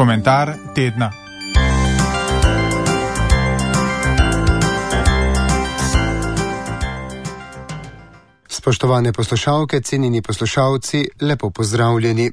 Komentar tedna. Spoštovane poslušalke, cenjeni poslušalci, lepo pozdravljeni.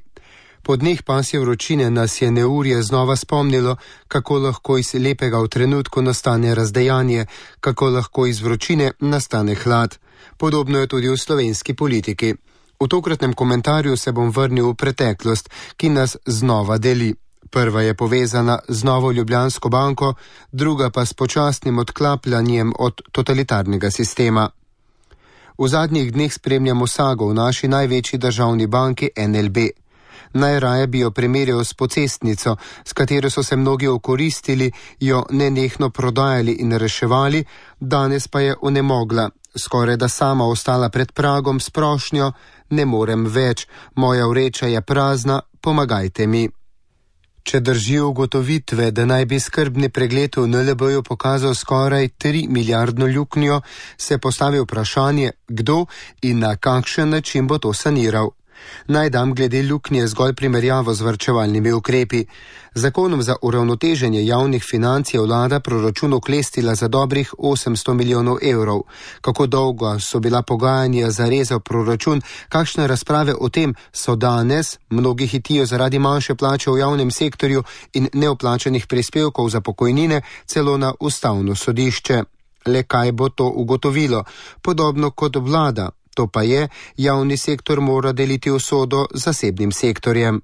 Po dneh pasje vročine nas je neurje znova spomnilo, kako lahko iz lepega v trenutku nastane razdejanje, kako lahko iz vročine nastane hlad. Podobno je tudi v slovenski politiki. V tokratnem komentarju se bom vrnil v preteklost, ki nas znova deli. Prva je povezana z Novo Ljubljansko banko, druga pa s počasnim odklapljanjem od totalitarnega sistema. V zadnjih dneh spremljamo sago v naši največji državni banki NLB. Najraje bi jo primerjal s pocestnico, s katero so se mnogi okoristili, jo nenehno prodajali in reševali, danes pa je onemogla, skoraj da sama ostala pred pragom s prošnjo: ne morem več, moja vreča je prazna, pomagajte mi. Če držijo ugotovitve, da naj bi skrbni pregled v NLB-ju pokazal skoraj 3 milijardno luknjo, se postavi vprašanje, kdo in na kakšen način bo to saniral. Naj dam glede luknje zgolj primerjavo z varčevalnimi ukrepi. Zakonom za uravnoteženje javnih financ je vlada proračun oklestila za dobrih 800 milijonov evrov. Kako dolgo so bila pogajanja za rezal proračun, kakšne razprave o tem so danes, mnogi hitijo zaradi manjše plače v javnem sektorju in neoplačanih prispevkov za pokojnine, celo na ustavno sodišče. Le kaj bo to ugotovilo? Podobno kot vlada. To pa je, javni sektor mora deliti usodo z zasebnim sektorjem.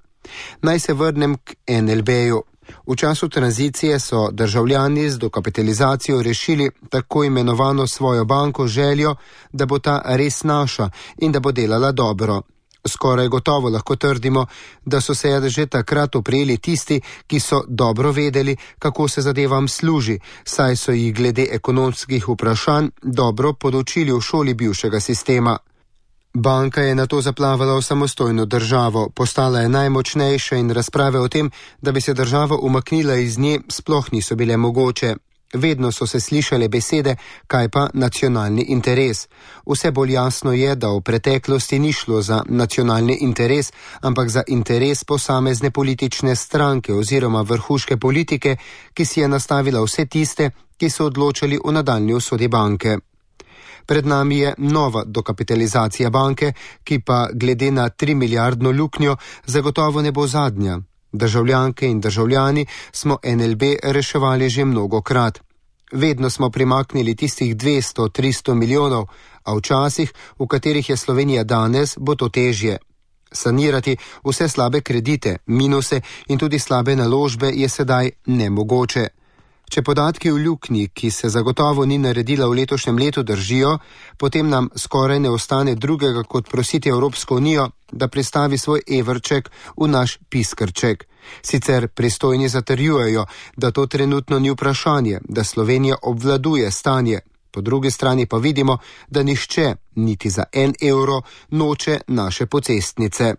Naj se vrnem k NLB-ju. V času tranzicije so državljani z dokapitalizacijo rešili tako imenovano svojo banko željo, da bo ta res naša in da bo delala dobro. Skoraj gotovo lahko trdimo, da so se že takrat oprijeli tisti, ki so dobro vedeli, kako se zadevam služi, saj so jih glede ekonomskih vprašanj dobro podučili v šoli bivšega sistema. Banka je nato zaplavala v samostojno državo, postala je najmočnejša in razprave o tem, da bi se država umaknila iz nje, sploh niso bile mogoče. Vedno so se slišale besede, kaj pa nacionalni interes. Vse bolj jasno je, da v preteklosti ni šlo za nacionalni interes, ampak za interes posamezne politične stranke oziroma vrhuške politike, ki si je nastavila vse tiste, ki so odločali o nadaljnji usodi banke. Pred nami je nova dokapitalizacija banke, ki pa glede na 3 milijardno luknjo zagotovo ne bo zadnja. Državljanke in državljani smo NLB reševali že mnogokrat. Vedno smo primaknili tistih 200-300 milijonov, a včasih, v katerih je Slovenija danes, bo to težje. Sanirati vse slabe kredite, minuse in tudi slabe naložbe je sedaj nemogoče. Če podatki v luknji, ki se zagotovo ni naredila v letošnjem letu, držijo, potem nam skoraj ne ostane drugega kot prositi Evropsko unijo, da pristavi svoj evrček v naš piskrček. Sicer pristojni zatrjujejo, da to trenutno ni vprašanje, da Slovenija obvladuje stanje. Po drugi strani pa vidimo, da nihče, niti za 1 evro, noče naše pocestnice.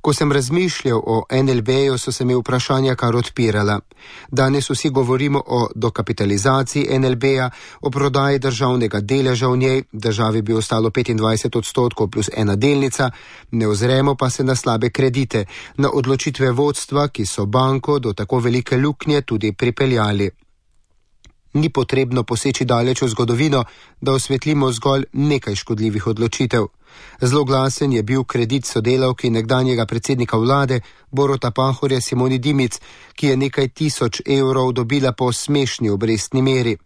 Ko sem razmišljal o NLB-ju, so se mi vprašanja kar odpirala. Danes vsi govorimo o dokapitalizaciji NLB-ja, o prodaji državnega deleža v njej, državi bi ostalo 25% plus 1 delnica, ne ozremo pa se na slabe kredite, na odločitve vodstva, ki so banko do tako velike luknje tudi pripeljali. Ni potrebno poseči daleč v zgodovino, da osvetlimo zgolj nekaj škodljivih odločitev. Zloglasen je bil kredit sodelavki nekdanjega predsednika vlade Boruta Pahorja Simoni Dimic, ki je nekaj tisoč evrov dobila po smešni obrestni meri.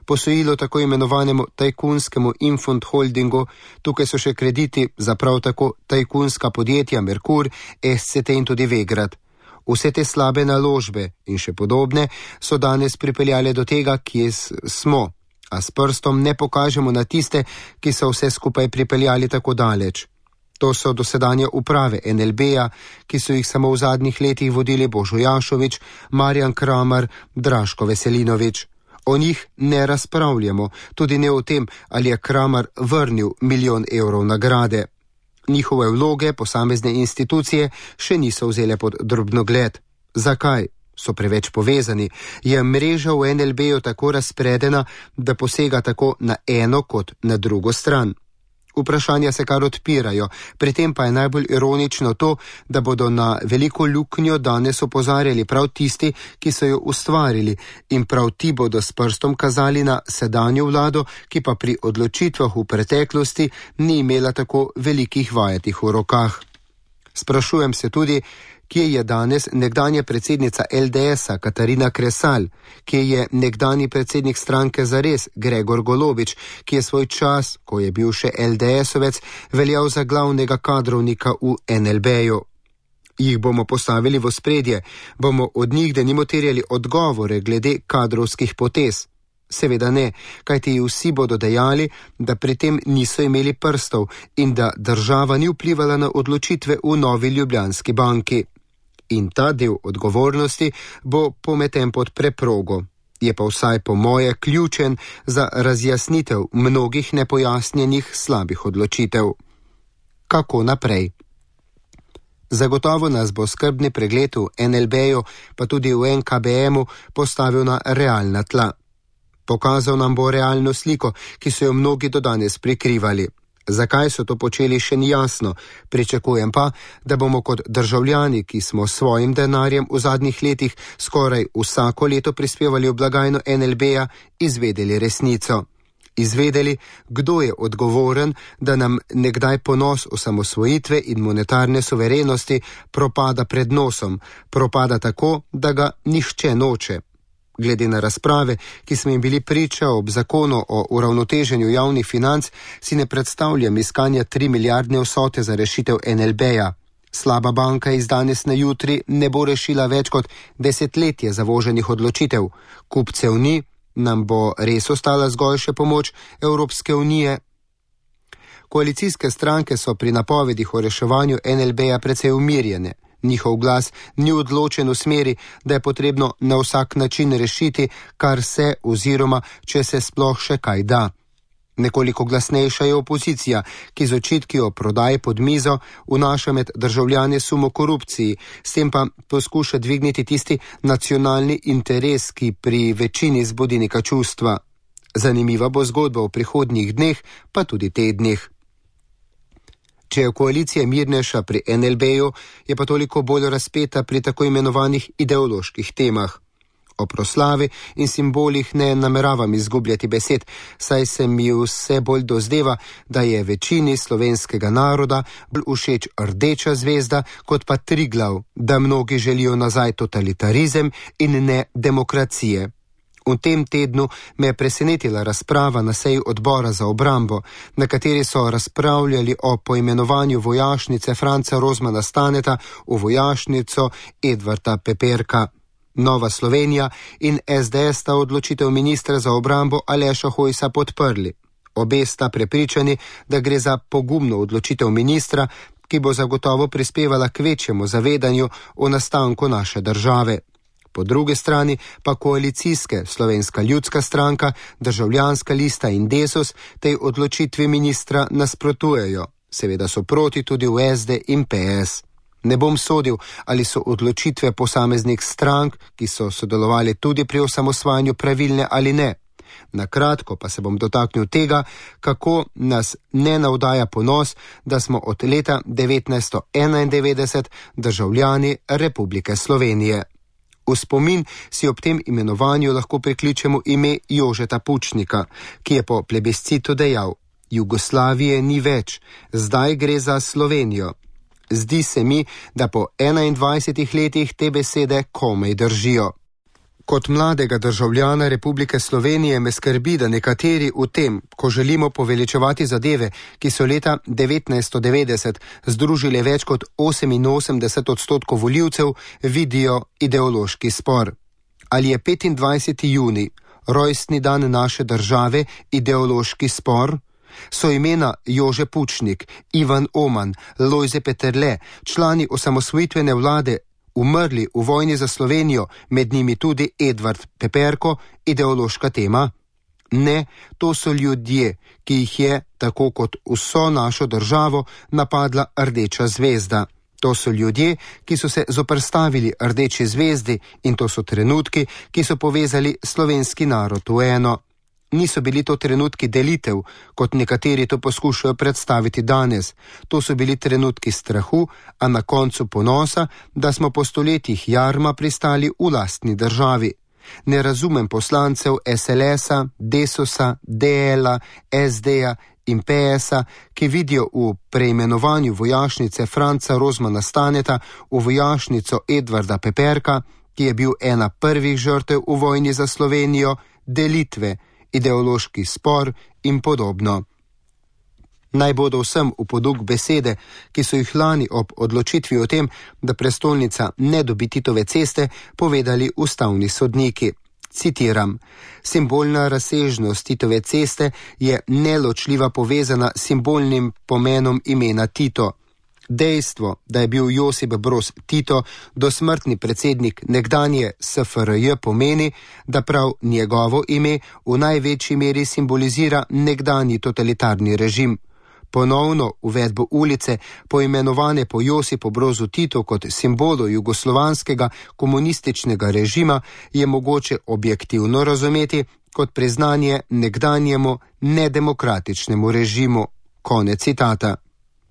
Posojilo tako imenovanemu tajkunskemu Infond Holdingu, tukaj so še krediti za prav tako tajkunska podjetja Merkur, SCT in tudi Vegrad. Vse te slabe naložbe in še podobne so danes pripeljale do tega, kje smo, a s prstom ne pokažemo na tiste, ki so vse skupaj pripeljali tako daleč. To so dosedanje uprave NLB-ja, ki so jih samo v zadnjih letih vodili Božo Jašović, Marjan Kramar, Draško Veselinović. O njih ne razpravljamo, tudi ne o tem, ali je Kramar vrnil 1 milijon evrov nagrade. Njihove vloge posamezne institucije še niso vzele pod drobnogled. Zakaj? So preveč povezani. Je mreža v NLB-ju tako razpredena, da posega tako na eno kot na drugo stran. Vprašanja se kar odpirajo, pri tem pa je najbolj ironično to, da bodo na veliko luknjo danes opozarjali prav tisti, ki so jo ustvarili, in prav ti bodo s prstom kazali na sedanjo vlado, ki pa pri odločitvah v preteklosti ni imela tako velikih vajatih v rokah. Sprašujem se tudi, kje je danes nekdanja predsednica LDS-a Katarina Kresal, kje je nekdanji predsednik stranke Zares Gregor Golobič, ki je svoj čas, ko je bil še LDS-ovec, veljal za glavnega kadrovnika v NLB-ju. Jih bomo postavili v ospredje, bomo od njih denimo terjali odgovore glede kadrovskih potez. Seveda ne, kajti vsi bodo dejali, da pri tem niso imeli prstov in da država ni vplivala na odločitve v Novi Ljubljanski banki. In ta del odgovornosti bo pometen pod preprogo. Je pa vsaj po moje ključen za razjasnitev mnogih nepojasnjenih slabih odločitev. Kako naprej? Zagotovo nas bo skrbni pregled v NLB-ju, pa tudi v NKBM-u postavil na realna tla. Pokazal nam bo realno sliko, ki so jo mnogi do danes prikrivali. Zakaj so to počeli, še ni jasno, pričakujem pa, da bomo kot državljani, ki smo s svojim denarjem v zadnjih letih skoraj vsako leto prispevali v blagajno NLB-ja, izvedeli resnico. Izvedeli, kdo je odgovoren, da nam nekdaj ponos osamosvojitve in monetarne suverenosti propada pred nosom, propada tako, da ga nihče noče. Glede na razprave, ki smo jim bili priča ob zakonu o uravnoteženju javnih financ, si ne predstavljam iskanja 3 milijardne vsote za rešitev NLB-ja. Slaba banka iz danes na jutri ne bo rešila več kot desetletje zavoženih odločitev. Kupcev ni, nam bo res ostala zgolj še pomoč Evropske unije. Koalicijske stranke so pri napovedih o reševanju NLB-ja precej umirjene. Njihov glas ni odločen v smeri, da je potrebno na vsak način rešiti, kar se oziroma če se sploh še kaj da. Nekoliko glasnejša je opozicija, ki z očitki o prodaji pod mizo vnaša med državljane sum o korupciji, s tem pa poskuša dvigniti tisti nacionalni interes, ki pri večini zbudi neka čustva. Zanimiva bo zgodba v prihodnjih dneh, pa tudi tednih. Če je koalicija mirnejša pri NLB-ju, je pa toliko bolj razpeta pri tako imenovanih ideoloških temah. O proslavi in simbolih ne nameravam izgubljati besed, saj se mi vse bolj dozdeva, da je večini slovenskega naroda bolj všeč rdeča zvezda kot pa Triglav, da mnogi želijo nazaj totalitarizem in ne demokracije. V tem tednu me je presenetila razprava na seji odbora za obrambo, na kateri so razpravljali o poimenovanju vojašnice Franca Rozmana Staneta v vojašnico Edvarda Peperka. Nova Slovenija in SDS sta odločitev ministra za obrambo Aleša Hojsa podprli. Obe sta prepričani, da gre za pogumno odločitev ministra, ki bo zagotovo prispevala k večjemu zavedanju o nastanku naše države. Po drugi strani pa koalicijske Slovenska ljudska stranka, Državljanska lista in Desus tej odločitvi ministra nasprotujejo. Seveda so proti tudi v SD in PS. Ne bom sodil, ali so odločitve posameznih strank, ki so sodelovali tudi pri osamosvajanju, pravilne ali ne. Na kratko pa se bom dotaknil tega, kako nas ne navdaja ponos, da smo od leta 1991 državljani Republike Slovenije. V spomin si ob tem imenovanju lahko prikličemo ime Jožeta Pučnika, ki je po plebiscitu dejal: Jugoslavije ni več, zdaj gre za Slovenijo. Zdi se mi, da po 21 letih te besede komaj držijo. Kot mladega državljana Republike Slovenije me skrbi, da nekateri v tem, ko želimo poveličevati zadeve, ki so leta 1990 združile več kot 88% volivcev, vidijo ideološki spor. Ali je 25. junij, rojstni dan naše države, ideološki spor? So imena Jože Pučnik, Ivan Oman, Lojze Peterle, člani osamosvojitvene vlade, umrli v vojni za Slovenijo, med njimi tudi Edvard Peperko, ideološka tema? Ne, to so ljudje, ki jih je, tako kot vso našo državo, napadla rdeča zvezda. To so ljudje, ki so se zoperstavili rdeči zvezdi, in to so trenutki, ki so povezali slovenski narod v eno. Niso bili to trenutki delitev, kot nekateri to poskušajo predstaviti danes. To so bili trenutki strahu, a na koncu ponosa, da smo po stoletjih jarma pristali v lastni državi. Ne razumem poslancev SLS-a, Desusa, DL-a, SD-ja in PS-a, ki vidijo v preimenovanju vojašnice Franca Rozmana Staneta v vojašnico Edvarda Peperka, ki je bil ena prvih žrtev v vojni za Slovenijo, delitve, ideološki spor in podobno. Naj bodo vsem v poduk besede, ki so jih lani ob odločitvi o tem, da prestolnica ne dobi Titove ceste, povedali ustavni sodniki. Citiram: simbolna razsežnost Titove ceste je neločljiva povezana s simbolnim pomenom imena Tito. Dejstvo, da je bil Josip Broz Tito dosmrtni predsednik nekdanje SFRJ, pomeni, da prav njegovo ime v največji meri simbolizira nekdanji totalitarni režim. Ponovno uvedbo ulice, poimenovane po Josipu Brozu Titu kot simbolu jugoslovanskega komunističnega režima, je mogoče objektivno razumeti kot priznanje nekdanjemu nedemokratičnemu režimu. Konec citata.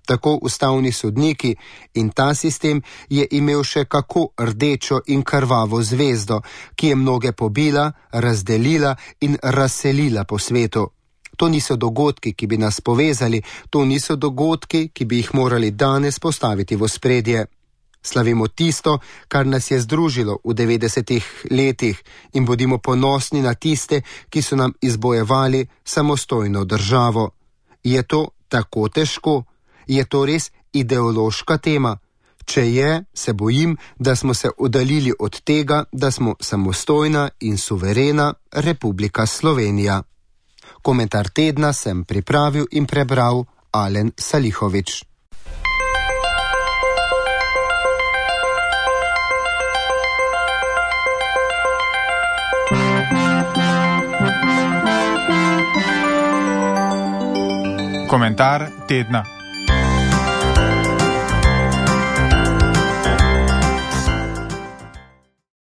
Tako ustavni sodniki in ta sistem je imel še kako rdečo in krvavo zvezdo, ki je mnoge pobila, razdelila in razselila po svetu. To niso dogodki, ki bi nas povezali, to niso dogodki, ki bi jih morali danes postaviti v ospredje. Slavimo tisto, kar nas je združilo v 90-ih letih in bodimo ponosni na tiste, ki so nam izbojevali samostojno državo. Je to tako težko? Je to res ideološka tema? Če je, se bojim, da smo se oddaljili od tega, da smo samostojna in suverena Republika Slovenija. Komentar tedna sem pripravil in prebral Alen Salihovič. Komentar tedna.